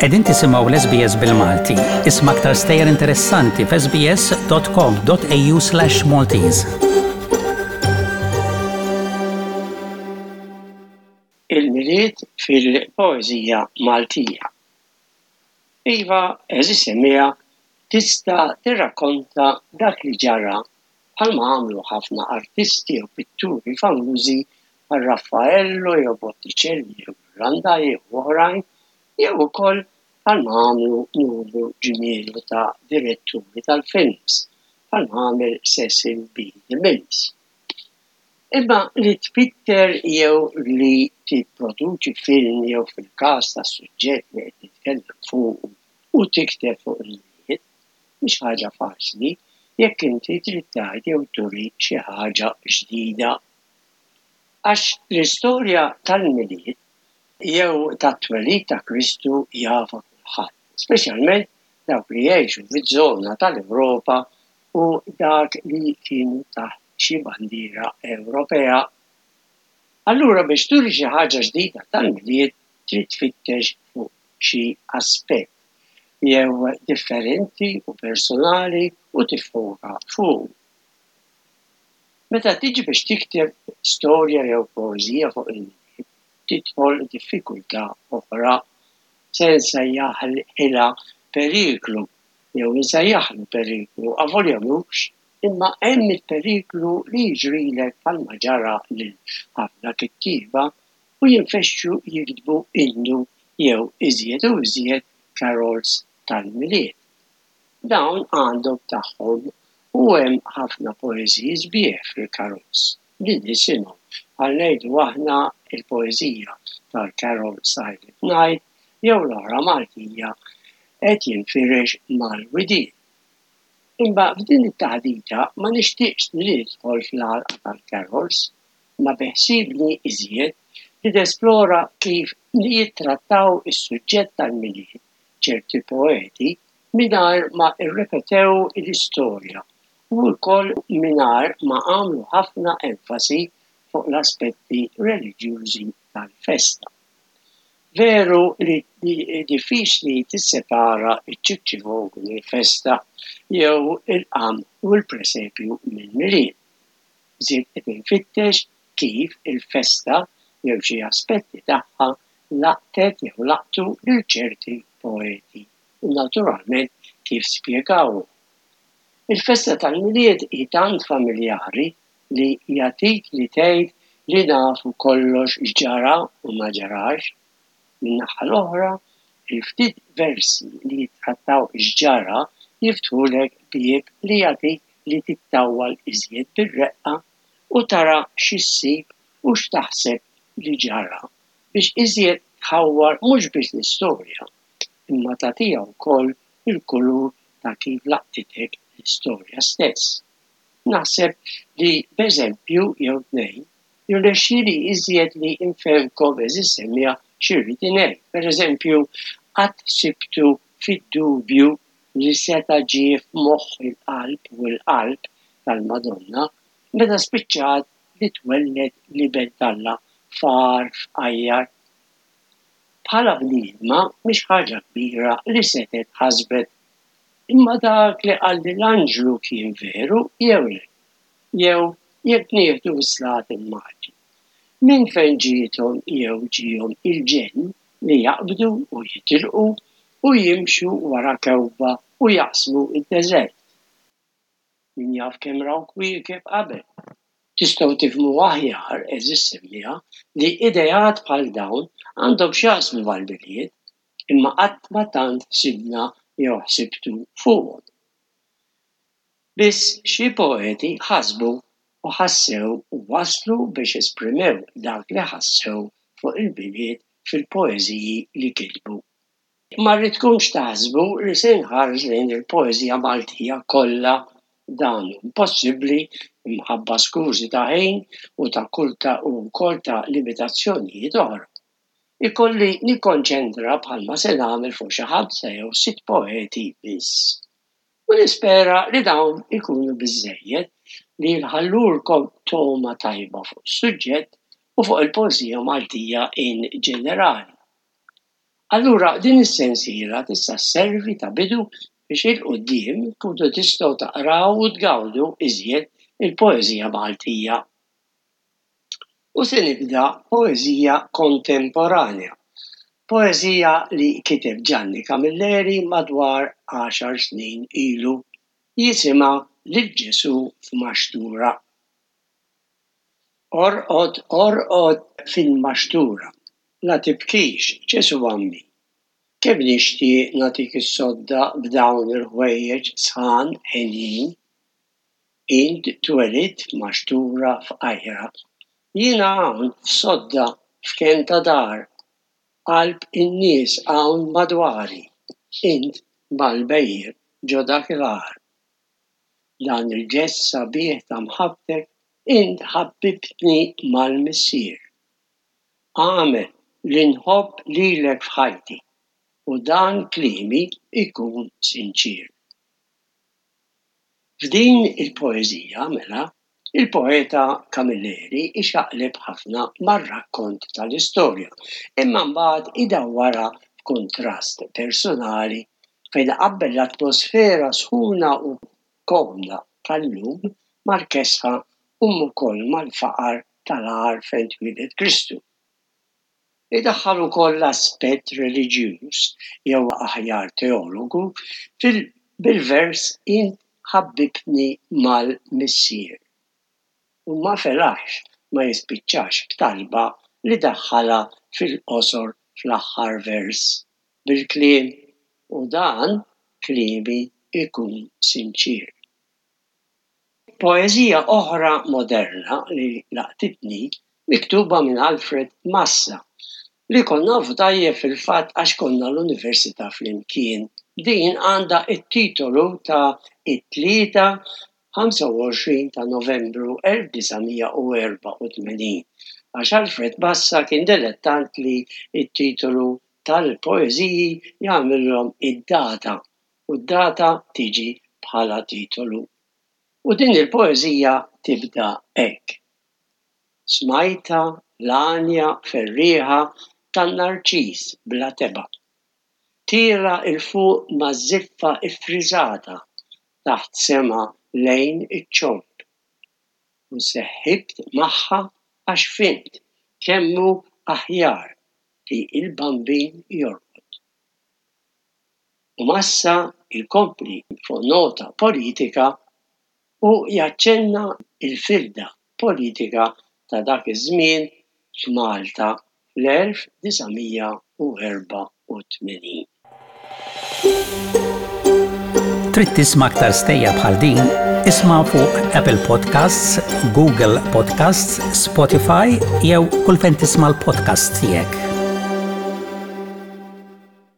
Qegħdin tisimgħu l-SBS bil-Malti. Isma' aktar stejjer interessanti f'sbs.com.au/Maltese. Il-Milied fil-poeżija Maltija. Iva, għeżież semmiegħa, tista' tirrakkonta dak li ġara bħalma għamlu ħafna artisti jew pitturi famużi bħal Raffaello jew Botticelli jew Ghirlandaio jew oħrajn jew ukoll bħalma għamlu numru ġmielu ta' diretturi tal-films bħalma għamel Cecil B. DeMille. Imma li tpitter jew li tipproduċi film jew fil-każ tas-suġġett li qed nitkellem fuqu u tikteb fuq il-Milied, mhix ħaġa faċli jekk inti trid tgħid jew turi xi ħaġa ġdida. Għax l-istorja tal-Milied jew tat-twelid ta' Kristu jafha kulħadd, speċjalment dawk li jgħixu fiż-żona tal-Ewropa u dak li kienu taħt xi bandiera Ewropea. Allura biex turi xi ħaġa ġdida tal-Milied trid tfittex fuq xi aspett jew differenti u personali u tiffoka fuqu. Meta tiġi biex tikteb storja jew poeżija fuq il-Milied tidħol diffikultà oħra, se nsejjaħilha periklu jew insejjaħlu periklu avolja mhux, imma hemm il-periklu li jiġrilek bħalma ġara lil ħafna kittieba u jinfexxu jiktbu innu jew iżjed u iżjed carols tal-Milied. Dawn għandhom tagħhom u hemm ħafna poeżiji sbieħ fil-carols li nisimgħu, bħal ngħidu aħna l-poeżija tal-carol Silent Night jew l-oħra Maltija Qed jinfirex mal-widien. Imma f'din it-taħdita ma nixtieqx li nidħol fl-għalqa tal-carols, imma beħsiebni iżjed li nesplora kif jittrattaw is-suġġett tal-Milied ċerti poeti mingħajr ma rrepetew l-istorja u wkoll mingħajr ma għamlu ħafna enfasi fuq l-aspetti reliġjużi tal-festa. Veru li diffiċli tissepara ċ-ċikċivog mill-festa jew il-qamħ u l-presepju mill-Milied. Żied qed infittex kif il-festa jew xi aspetti tagħha laqtet jew laqtu lil ċerti poeti u naturalment kif spjegawhom. Il-festa tal-Milied hi tant familjari li jagħtik li tgħid li nafu kollox x'ġara u ma ġarax. Min-naħa l-oħra, il-ftit versi li jittrattaw x'ġara jiftħulek bieb li jagħtik li tittawwal iżjed bir-reqqa u tara xi ssib u x'taħseb li ġara biex iżjed tħawwar mhux biss l-istorja imma tagħtiha wkoll il-kulur ta' kif laqtitek l-istorja stess. Naħseb li b'eżempju jew tnejn jirnexxieli iżjed li nfehmkom għeżież semmiegħa xi rrid ingħid. Per eżempju, qatt ħsibtu fid-dubju li seta' ġie f'moħħ il-qalb u l-qalb tal-Madonna meta spiċċat li twelled l-Iben t'Alla f'għar fqajjar? Bħala bniedma mhix ħaġa kbira li setgħet ħasbet Imma dak li qalli l-anġlu kien veru jew le? Jew, jekk nieħdu s-Slaten Maġi, minn fejn ġiethom jew ġiehom il-ġenn li jaqbdu u jitilqu u jimxu wara kewkba u jaqsmu d-deżert? Min jaf kemm raw kwiekeb qabel? Tistgħu tifhmu aħjar, għeżież semmiegħa, li ideat bħal dawn għandhom x'jaqsmu mal-Milied, imma qatt ma tant ħsibna jew ħsibtu fuqhom. Biss xi poeti ħasbu u ħassew u waslu biex esprimew dak li ħassew fuq il-Milied fil-poeżiji li kitbu. Ma rridkomx taħsbu li se nħares lejn il-poeżija Maltija kollha, dan hu impossibbli imħabba skużi ta' ħin u ta' kull ta' u wkoll ta' limitazzjonijiet oħra. Ikolli nikkonċentra bħalma se nagħmel fuq xi ħamsa jew sitt poeti biss. U nispera li dawn ikunu biżżejjed li jħallulkom togħma tajba fuq is-suġġett u fuq il-poeżija Maltija in ġenerali. Allura din is-sensiela tista' sservi ta' bidu biex 'il quddiem tkunu tistgħu taqraw u tgawdu iżjed il-poeżija Maltija. U se nibda poeżija kontemporanja, poeżija li kiteb Ġanni Camilleri madwar għaxar snin ilu, jisimha Lil Ġesù f'Maxtura. Orqod, orqod fil-maxtura, la tibkix, Ġesù għammi. Kemm nixtieq nagħtik is-sodda b'dawn il-ħwejjeġ sħan henjin. Int twelidt f'maxtura fqajra, jiena hawn f'sodda f'kenn ta' dar, qalb in-nies hawn madwari, int mal-bhejjem ġo dak il-għar. Dan il-ġest sabiħ ta' mħabbtek int ħabbibtni mal-Missier. Agħmel li nħobb lilek f'ħajti u dan kliemi jkun sinċier. F'din il-poeżija, mela, il-poeta Camilleri jxaqleb ħafna mar-rakkont tal-istorja, imma mbagħad idawwarha f'kuntrast personali fejn iqabbel l-atmosfera sħuna u komda tal-lum mal-kesħa u wkoll mal-faqar tal-għar fejn twieled Kristu. Idaħħal ukoll l-aspett reliġjuż, jew aħjar teologu, fil bil-vers Int ħabbibtni mal-Missier. U ma felaħx ma jispiċċax b'talba li daħħalha fil-qosor fl-aħħar vers bil-kliem u dan kliemi jkun sinċier. Poeżija oħra moderna li laqtitni miktuba minn Alfred Massa, li kont nafu tajjeb fil-fatt għax konna l-università flimkien. Din għandha t-titolu ta' It-Tlieta 25 ta' Novembru 1984, għax Alfred Massa kien dilettant li t-titolu tal-poeżiji jagħmilhom id-data u d-data tiġi bħala titolu. U din il-poeżija tibda hekk, Smajtha l-għanja ferrieħa tan-narċis bla tebgħa, tielgħa 'l fuq maż-żiffa ffriżata taħt sema lejn iċ-ċomb. U seħħibt magħha għax fhimt kemm hu aħjar li l-Bambin jorqod. U Massa jkompli fuq nota politika u jaċċenna l-firda politika ta' dak iż-żmien f'Malta fl-1984. Trid tisma' aktar stejjer bħal din? Isma' fuq Apple Podcasts, Google Podcasts, Spotify jew kull fejn tisma' l-podcasts tiegħek.